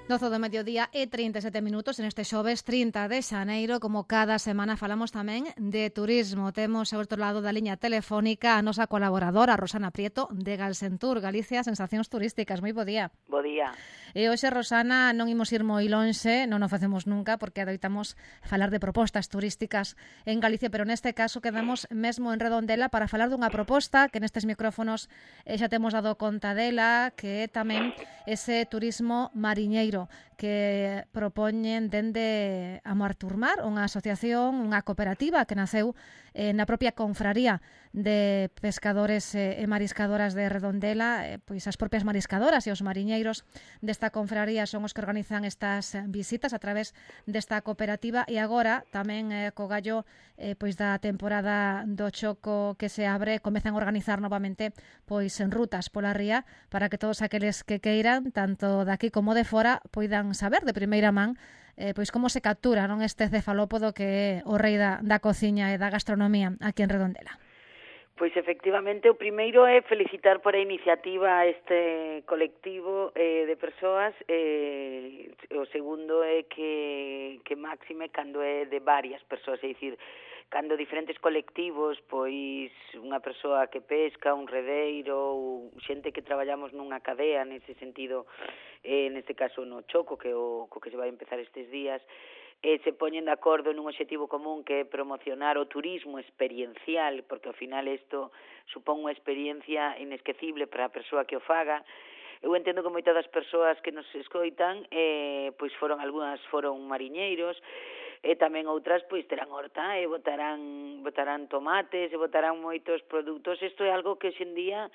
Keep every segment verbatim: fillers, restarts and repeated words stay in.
doce do mediodía e trinta e sete minutos en este xoves trinta de xaneiro. Como cada semana falamos tamén de turismo. Temos ao outro lado da liña telefónica a nosa colaboradora Rosana Prieto de Galsentur, Galicia, Sensacións Turísticas. Moi bo día. Bo día. E hoxe, Rosana, non imos ir moi lonxe, non o facemos nunca porque adoitamos falar de propostas turísticas en Galicia, pero neste caso quedamos mesmo en Redondela para falar dunha proposta que nestes micrófonos eh, xa temos dado conta dela, que é tamén ese turismo mariñeiro que propoñen dende a Marturmar, unha asociación, unha cooperativa que naceu eh, na propia confraría de pescadores e mariscadoras de Redondela. Eh, pois as propias mariscadoras e os mariñeiros desta confraría son os que organizan estas visitas a través desta cooperativa, e agora tamén eh, co gallo eh, pois da temporada do choco que se abre, comezan a organizar novamente pois en rutas pola ría para que todos aqueles que queiran, tanto daqui como de fora, poidan saber de primeira man eh, pois como se captura non este cefalópodo que é o rei da, da cociña e da gastronomía aquí en Redondela. Pois efectivamente, o primeiro é felicitar por a iniciativa a este colectivo eh, de persoas, eh, o segundo é que, que máxime cando é de varias persoas, é dicir, cando diferentes colectivos, pois unha persoa que pesca, un redeiro, ou xente que traballamos nunha cadea, nese sentido, eh, neste caso no Choco, que o co que se vai empezar estes días, eh, se poñen de acordo nun obxectivo común que é promocionar o turismo experiencial, porque ao final isto supón unha experiencia inesquecible para a persoa que o faga. Eu entendo que moitas das persoas que nos escoitan, eh, pois foron algunhas foron mariñeiros, e tamén outras pois terán horta e botarán botarán tomates e botarán moitos produtos. Isto é algo que hoxendía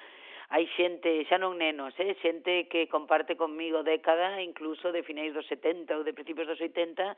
hai xente, xa non nenos, eh, xente que comparte conmigo década, incluso de finais dos setenta ou de principios dos oitenta,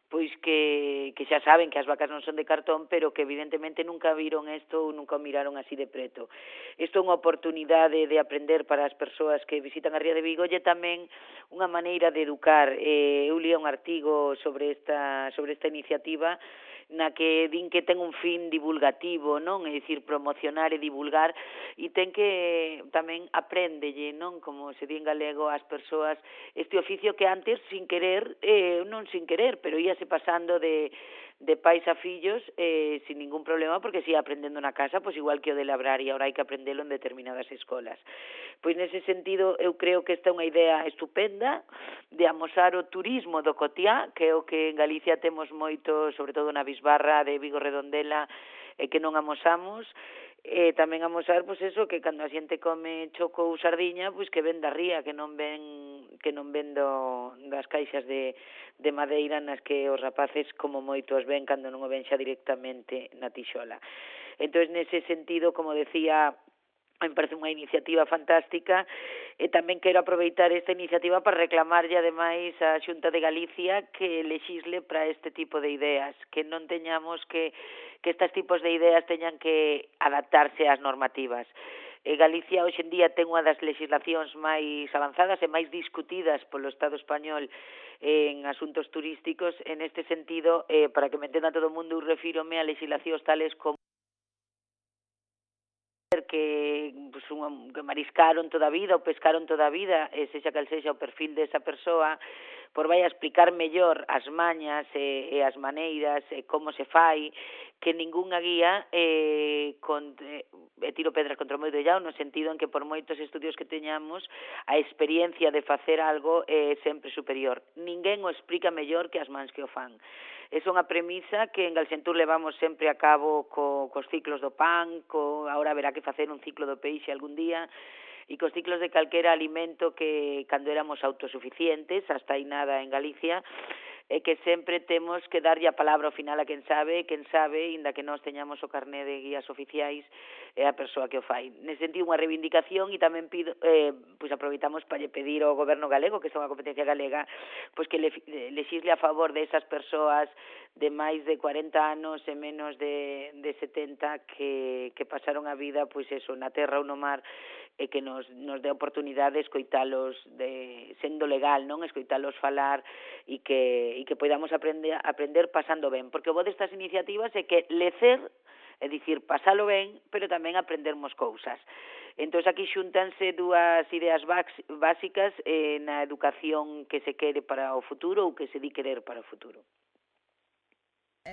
pois que, que xa saben que as vacas non son de cartón, pero que evidentemente nunca viron isto ou nunca o miraron así de preto. Isto é unha oportunidade de aprender para as persoas que visitan a Ría de Vigo, e tamén unha maneira de educar. Eh, eu lía un artigo sobre esta, sobre esta iniciativa na que din que ten un fin divulgativo, non? É dicir, promocionar e divulgar, e ten que tamén apréndelle, non? Como se di en galego, ás persoas este oficio que antes, sin querer, eh, non sin querer, pero íase pasando de de pais a fillos eh, sin ningún problema, porque se ia aprendendo na casa, pois igual que o de labrar, e agora hai que aprendelo en determinadas escolas. Pois nese sentido, eu creo que esta é unha idea estupenda de amosar o turismo do cotiá, que é o que en Galicia temos moito, sobre todo na Bisbarra de Vigo Redondela, e que non amosamos. E tamén amosar, pois eso, que cando a xente come choco ou sardiña, pois que ven da ría, que non ven que non ven do, das caixas de, de madeira nas que os rapaces como moitos ven cando non o ven xa directamente na tixola. Entón, nese sentido, como decía, me parece unha iniciativa fantástica, e tamén quero aproveitar esta iniciativa para reclamarlle ademais a Xunta de Galicia que lexisle para este tipo de ideas, que non teñamos que, que estes tipos de ideas teñan que adaptarse ás normativas. E Galicia hoxe en día ten unha das legislacións máis avanzadas e máis discutidas polo Estado español en asuntos turísticos. En este sentido, eh, para que me entenda todo o mundo, eu refírome a legislacións tales como que, pues, un, que mariscaron toda a vida ou pescaron toda a vida, e sexa cal sexa o perfil desa persoa, por vai a explicar mellor as mañas e, e as maneiras e como se fai, que ningunha guía eh, con, eh, tiro pedras contra o meu tellado, no sentido en que por moitos estudios que teñamos, a experiencia de facer algo é sempre superior. Ninguén o explica mellor que as mans que o fan. É unha premisa que en Galsentur levamos sempre a cabo co, cos ciclos do pan, co, agora haberá que facer un ciclo do peixe algún día, e cos ciclos de calquera alimento que cando éramos autosuficientes, hasta aí nada en Galicia, e que sempre temos que darlle a palabra ao final a quen sabe, e quen sabe, inda que nós teñamos o carné de guías oficiais, é a persoa que o fai. Nese sentido, unha reivindicación, e tamén pido, eh, pois aproveitamos para lle pedir ao goberno galego, que é unha competencia galega, pois que le, lexisle a favor de esas persoas de máis de cuarenta anos e menos de, de setenta que, que pasaron a vida, pois eso, na terra ou no mar, e que nos, nos dé oportunidade de escoitalos de, sendo legal, non? Escoitalos falar e que, e que podamos aprender, aprender pasando ben, porque o bo destas iniciativas é que lecer, é dicir, pasalo ben, pero tamén aprendermos cousas. Entón, aquí xuntanse dúas ideas básicas eh, na educación que se quere para o futuro ou que se di querer para o futuro.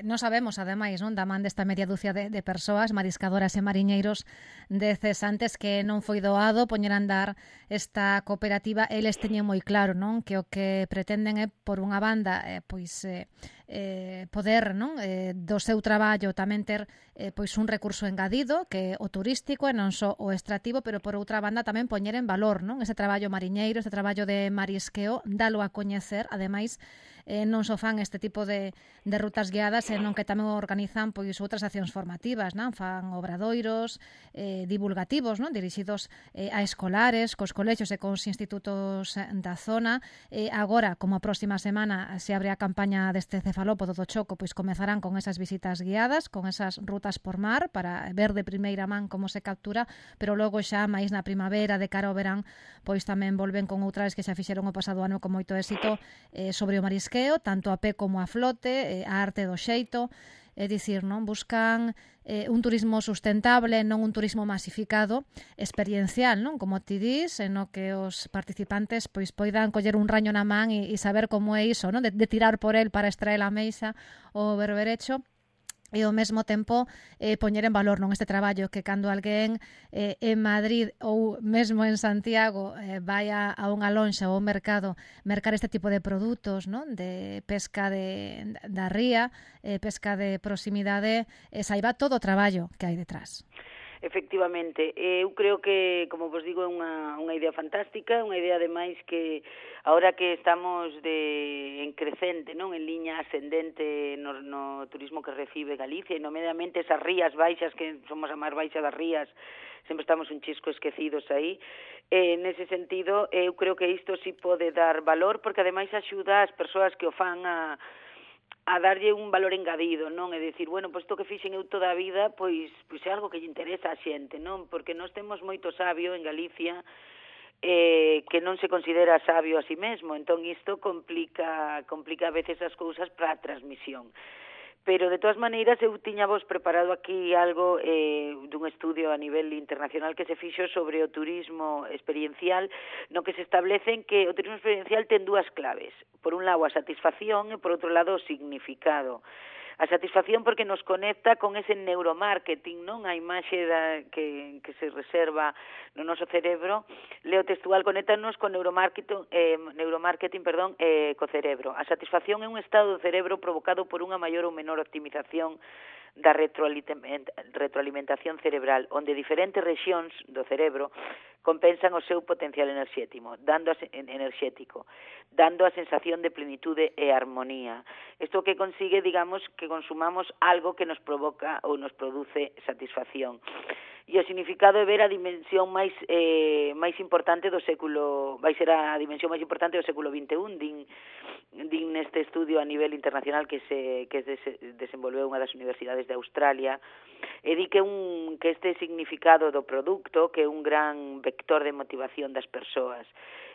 Non sabemos, ademais, non, da man desta media dúcia de, de persoas, mariscadoras e mariñeiros de cesantes, que non foi doado poñer a andar esta cooperativa. Eles teñen moi claro, non, que o que pretenden é, por unha banda, eh, pois eh, eh, poder, non, eh, do seu traballo tamén ter eh, pois un recurso engadido, que é o turístico e non só o extractivo, pero por outra banda tamén poñer en valor, non, ese traballo mariñeiro, ese traballo de marisqueo, dalo a coñecer. Ademais, eh, non só fan este tipo de, de rutas guiadas, senón que tamén organizan pois outras accións formativas, non? Fan obradoiros eh, divulgativos, non? Dirixidos eh, a escolares, cos colexios e cos institutos da zona. Eh, agora, como a próxima semana se abre a campaña deste cefalópodo do Choco, pois comezarán con esas visitas guiadas, con esas rutas por mar, para ver de primeira man como se captura, pero logo xa máis na primavera, de cara ao verán, pois tamén volven con outras que xa fixeron o pasado ano con moito éxito eh, sobre o marisqueo, tanto a pé como a flote, eh, a arte do xeito. É dicir, non, buscan eh, un turismo sustentable, non un turismo masificado, experiencial, non, como ti dis, en o que os participantes pois poidan coller un raño na man e, e saber como é iso, non, de, de tirar por el para extraer a meixa o berberecho, e ao mesmo tempo eh, poñer en valor, non, este traballo, que cando alguén eh, en Madrid ou mesmo en Santiago eh, vai a, a unha lonxa ou a un mercado mercar este tipo de produtos, non, de pesca de, da ría, eh, pesca de proximidade, eh, saiba todo o traballo que hai detrás. Efectivamente, eu creo que, como vos digo, é unha, unha idea fantástica, unha idea ademais que ahora que estamos de en crecente, non, en liña ascendente no, no turismo que recibe Galicia, e nomeadamente esas rías baixas, que somos a máis baixa das rías, sempre estamos un chisco esquecidos aí. Eh, nese sentido, eu creo que isto sí pode dar valor, porque ademais axuda as persoas que o fan a a darlle un valor engadido, non? É dicir, bueno, pois isto que fixen eu toda a vida, pois pois é algo que lle interesa a xente, non? Porque nós temos moito sabio en Galicia eh, que non se considera sabio a si mesmo, entón isto complica complica a veces as cousas para a transmisión. Pero, de todas maneiras, eu tiña vos preparado aquí algo eh, dun estudio a nivel internacional que se fixo sobre o turismo experiencial, no que se establecen que o turismo experiencial ten dúas claves. Por un lado, a satisfacción, e por outro lado, o significado. A satisfacción porque nos conecta con ese neuromarketing, non? A imaxe da, que, que se reserva no noso cerebro, leo textual, conéctanos con neuromarketing, eh, neuromarketing perdón, eh, co cerebro. A satisfacción é un estado do cerebro provocado por unha maior ou menor optimización da retroalimentación cerebral, onde diferentes rexións do cerebro compensan o seu potencial enerxético, dando a, enerxético, dando a sensación de plenitude e armonía. Isto que consigue, digamos, que consumamos algo que nos provoca ou nos produce satisfacción. E o significado é ver a dimensión máis eh, máis importante do século, vai ser a dimensión máis importante do século vinte e un, din, din neste estudio a nivel internacional que se que se desenvolveu unha das universidades de Australia, e di que un que este significado do produto, que é un gran vector de motivación das persoas.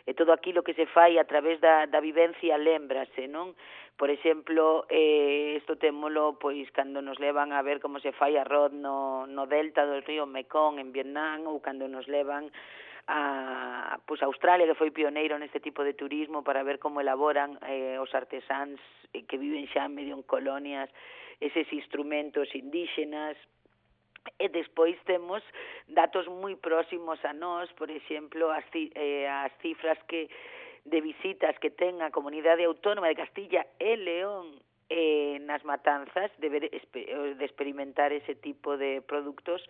E todo aquilo que se fai a través da, da vivencia lembrase, non? Por exemplo, eh, isto témolo pois cando nos levan a ver como se fai arroz no, no delta do río Mekong en Vietnam, ou cando nos levan a pois, a Australia, que foi pioneiro neste tipo de turismo, para ver como elaboran eh, os artesáns eh, que viven xa medio en colonias eses instrumentos indígenas. E despois temos datos moi próximos a nós, por exemplo, as, eh, as cifras que de visitas que ten a Comunidade Autónoma de Castilla e León eh, nas matanzas, de, ver, de experimentar ese tipo de produtos,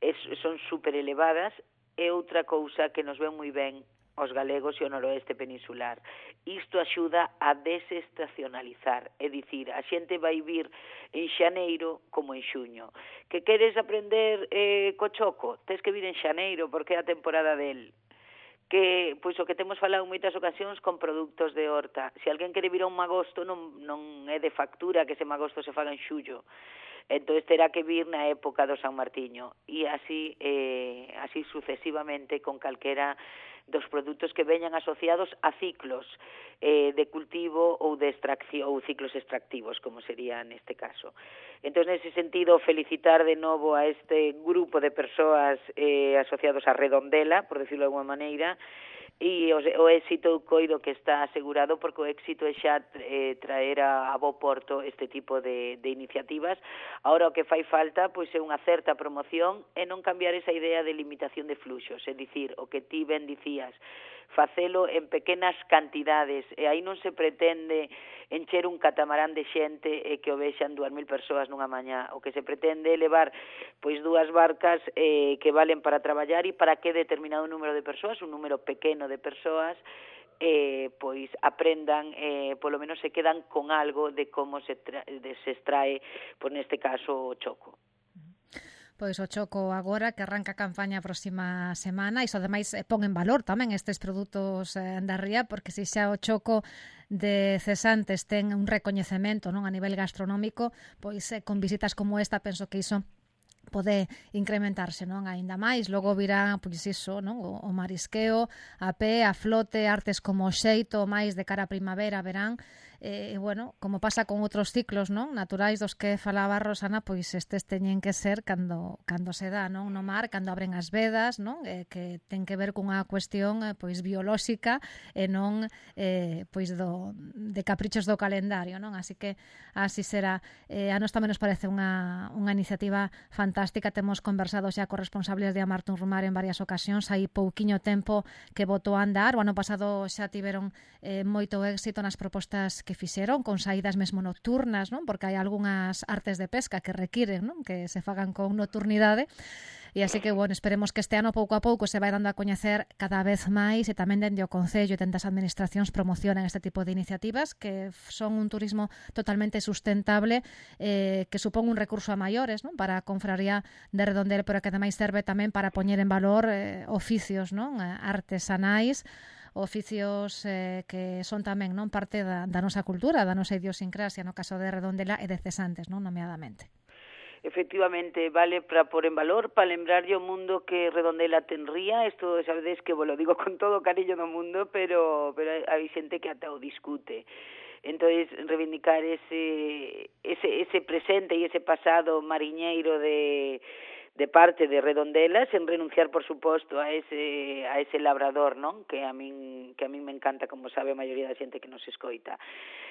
es, son super elevadas. E outra cousa que nos ven moi ben os galegos e o noroeste peninsular. Isto axuda a desestacionalizar, é dicir, a xente vai vir en xaneiro como en xuño. Que queres aprender eh, co choco? Tes que vir en xaneiro porque é a temporada del. Que, pois o que temos falado en moitas ocasións con produtos de horta. Se alguén quere vir a un magosto, non, non é de factura que ese magosto se faga en xullo. Entón terá que vir na época do San Martiño, e así eh, así sucesivamente con calquera dos produtos que veñan asociados a ciclos eh, de cultivo ou de extracción ou ciclos extractivos, como sería neste caso. Entón, nese sentido, felicitar de novo a este grupo de persoas eh, asociados a Redondela, por decirlo de alguma maneira, e o, o éxito coido que está asegurado, porque o éxito é xa eh, traer a, a bo porto este tipo de, de iniciativas. Ahora o que fai falta pois é unha certa promoción e non cambiar esa idea de limitación de fluxos, é dicir, o que ti ben dicías, facelo en pequenas cantidades, e aí non se pretende encher un catamarán de xente e que o vexan dúas mil persoas nunha mañá. O que se pretende é levar pois dúas barcas eh, que valen para traballar e para que determinado número de persoas, un número pequeno de persoas, eh, pois aprendan, eh, polo menos se quedan con algo de como se, tra de, se extrae, por neste caso, o choco. Pois o choco agora que arranca a campaña a próxima semana, iso ademais pon en valor tamén estes produtos da ría, porque se xa o choco de cesantes ten un recoñecemento, non, a nivel gastronómico, pois con visitas como esta penso que iso pode incrementarse, non, aínda máis. Logo virá, pois iso, non, o, o marisqueo, a pé, a flote, artes como o xeito, máis de cara a primavera, verán. E, bueno, como pasa con outros ciclos, non, naturais dos que falaba Rosana, pois estes teñen que ser cando cando se dá, non, no mar, cando abren as vedas, non, eh, que ten que ver cunha cuestión eh, pois biolóxica e non eh, pois do de caprichos do calendario, non? Así que así será. Eh, a nós tamén nos parece unha unha iniciativa fantástica. Temos conversado xa con responsables de Amartun Rumar en varias ocasións, hai pouquiño tempo que botou a andar. O ano pasado xa tiveron eh, moito éxito nas propostas que fixeron, con saídas mesmo nocturnas, non? Porque hai algunhas artes de pesca que requiren, non, que se fagan con nocturnidade. E así que, bueno, esperemos que este ano pouco a pouco se vai dando a coñecer cada vez máis e tamén dende o Concello e dende as administracións promocionan este tipo de iniciativas que son un turismo totalmente sustentable, eh, que supón un recurso a maiores, non, para a confraría de Redondela, pero que ademais serve tamén para poñer en valor eh, oficios, non, artesanais, oficios eh, que son tamén, non, parte da, da nosa cultura, da nosa idiosincrasia, no caso de Redondela e de Cesantes, non, nomeadamente. Efectivamente, vale para pôr en valor, para lembrarlle o mundo que Redondela ten ría. Isto, sabedes que vos lo digo con todo o cariño do mundo, pero, pero hai xente que ata o discute. Entonces, reivindicar ese, ese, ese presente e ese pasado mariñeiro de de parte de Redondela, sen renunciar, por suposto, a ese a ese labrador, non? Que a min que a min me encanta, como sabe a maioría da xente que nos escoita.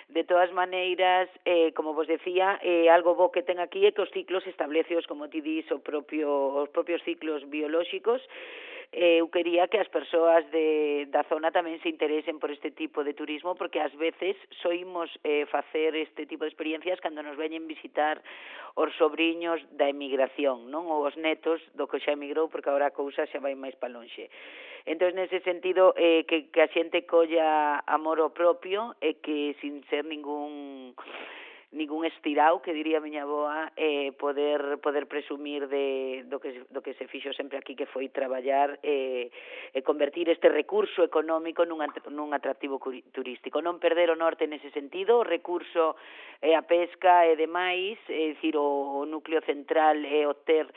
De todas maneiras, eh, como vos decía, eh, algo bo que ten aquí é que os ciclos estableceos, como ti dis, o propio, os propios ciclos biolóxicos. Eh, eu quería que as persoas de, da zona tamén se interesen por este tipo de turismo, porque ás veces soimos eh, facer este tipo de experiencias cando nos veñen visitar os sobriños da emigración, non? Ou os netos do que xa emigrou, porque agora a cousa xa vai máis pa lonxe. Entón, nese sentido, eh, que, que a xente colla amor ao propio e que sin ser ningún ningún estirao, que diría a miña avoa, eh, poder poder presumir de do que do que se fixo sempre aquí, que foi traballar e eh, eh, convertir este recurso económico nun nun atractivo turístico. Non perder o norte nese sentido, o recurso é eh, a pesca e demais, é dicir, o, o núcleo central é o ter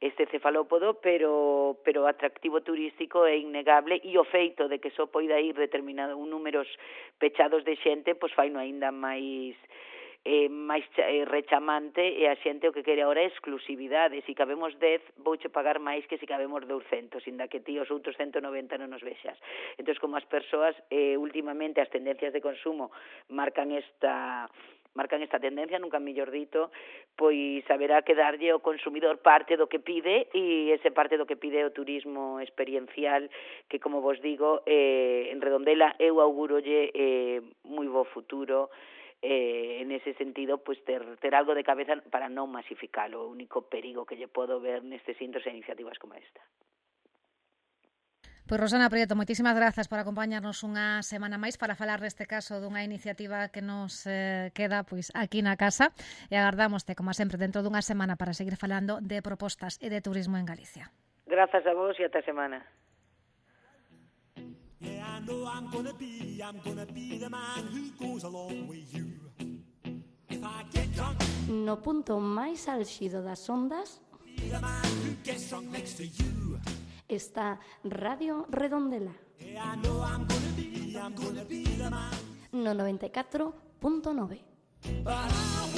este cefalópodo, pero pero atractivo turístico é innegable, e o feito de que só poida ir determinado un números pechados de xente, pois fai no aínda máis eh, máis eh, rechamante, e a xente o que quere agora é exclusividade. Se cabemos dez, vouche pagar máis que se cabemos douscentos, inda que ti os outros ciento noventa non nos vexas. Entón, como as persoas, eh, últimamente as tendencias de consumo marcan esta marcan esta tendencia, nunca mellor dito, pois haberá que darlle ao consumidor parte do que pide, e ese parte do que pide o turismo experiencial, que, como vos digo, eh, en Redondela eu augurolle eh, moi bo futuro. Eh, en ese sentido, pues ter, ter algo de cabeza para non masificalo. O único perigo que lle podo ver nestes intos e iniciativas como esta. Pois Rosana Prieto, moitísimas grazas por acompañarnos unha semana máis para falar deste caso dunha iniciativa que nos eh, queda pois aquí na casa, e agardámoste, como sempre, dentro dunha semana para seguir falando de propostas e de turismo en Galicia. Grazas a vos e ata a semana. Yeah, I know I'm gonna be, I'm gonna be the man who goes along with you. If I get drunk, no punto máis álxido das ondas, be the man who gets drunk next to you. Está Radio Redondela. Yeah, I know I'm gonna be, I'm gonna be the man. No noventa e catro punto nove. But I